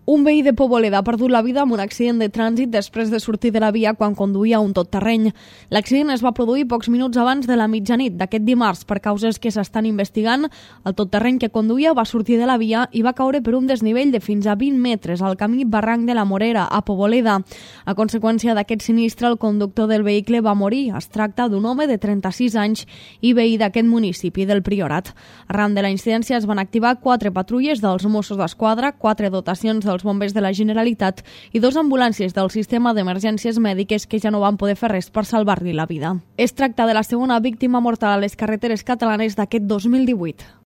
Un veí de Poboleda ha perdut la vida en un accident de trànsit després de sortir de la via quan conduïa un totterreny. L'accident es va produir pocs minuts abans de la mitjanit d'aquest dimarts per causes que s'estan investigant. El totterreny que conduïa va sortir de la via i va caure per un desnivell de fins a 20 metres al camí Barranc de la Morera, a Poboleda. A conseqüència d'aquest sinistre, el conductor del vehicle va morir. Es tracta d'un home de 36 anys i veí d'aquest municipi del Priorat. Arran de la incidència es van activar 4 patrulles dels Mossos d'Esquadra, 4 dotacions dels bombers de la Generalitat i 2 ambulàncies del sistema d'emergències mèdiques que ja no van poder fer res per salvar-li la vida. Es tracta de la segona víctima mortal a les carreteres catalanes d'aquest 2018.